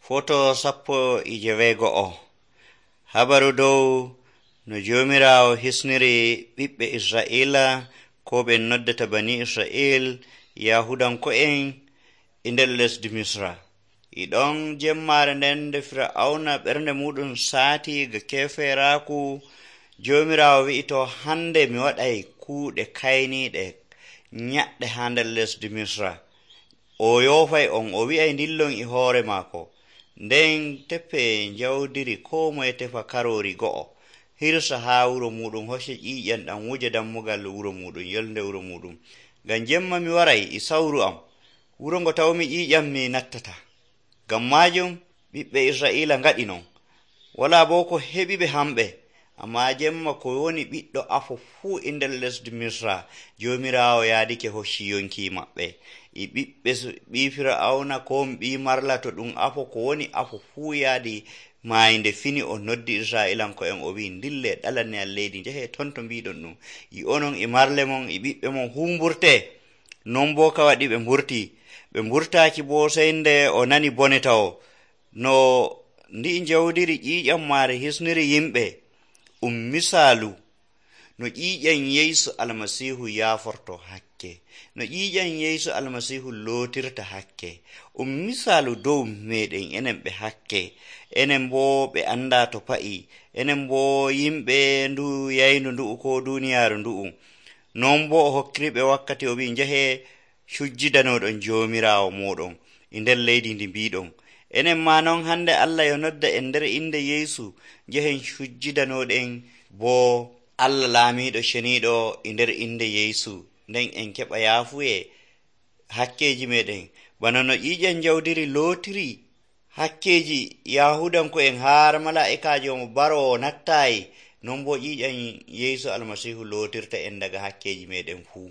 Foto 11. Habaru dow no Joomiraawo hisniri ɓiɓɓe Israa'iila ko ɓe noddata bani Israa'il Yahudanko'en e nder lesdi Misra. E ɗon jemmaare nden nde Fir'awna ɓernde muɗum saati ga kefeeraaku, Joomiraawo wi'i to hande mi waɗay kuuɗe kayniiɗe nyaɗɗe haa nder lesdi Misra. O yoofay on, o wi'ay ndillon e hoore maako. Nden teppe jawdiri koo moye tefa karoori go'o, hirsa haa wuro muɗum, hocce ƴiiƴam ɗam wuja dammugal wuro muɗum, yolnde wuro muɗum. Ngam jemma mi waray e sawru am, wuro ngo tawmi ƴiiƴam mi nattata. Ngam maajum ɓiɓɓe Israa'iila ngaɗi non. Walaa boo ko heɓi ɓe hamɓe, ammaa jemma ko woni ɓiɗɗo afo fuu e nder lesdi Misra, Joomiraawo yaadike hocci yonki maɓɓe. E ɓii Fir'awna ko ɓii marla to ɗum afo, ko woni afo fuu yaadi maayinde fini o noddi Israa'iilanko'en o wi'i ndille ɗalanne am leydi, njehe ton to mbiɗon ɗum. E onon e marle mon e ɓiɓɓe mon fuu mburtee. Non boo ka waɗi ɓe mburtii. Ɓe mburtaaki boo sey nde o nani bone tawo no ndi'i jawdiri ƴiiƴam maare hisniri yimɓe misaalu no ƴiiƴam Yeesu Almasiihu yaaforto hakke, no ƴiiƴam Yeesu Almasiihu lootirta hakke. Misaalu dow meeɗen enen ɓe hakke, enen boo ɓe anndaa to pa'i, enen boo yimɓe ndu yaynu ndu'u ko duuniyaaru ndu'u. Non boo o hokkiriɓe wakkati o wi'i njehe cujjidanoɗon Joomiraawo mooɗon e nder leydi ndi mbiɗon. Enen maa non hande Allah yo nodda en nder inde Yeesu, njehen cujjidanoɗen boo Allah laamiiɗo ceniiɗo e nder inde Yeesu, nden en keɓa yaafuye hakkeeji meɗen. Bana no ƴiiƴam jawdiri lootiri hakkeeji Yahudanko'en haar malaa'ikaajo mo baroowo nattaayi, non boo ƴiiƴam Yeesu Almasiihu lootirta en daga hakkeeji meɗen fuu.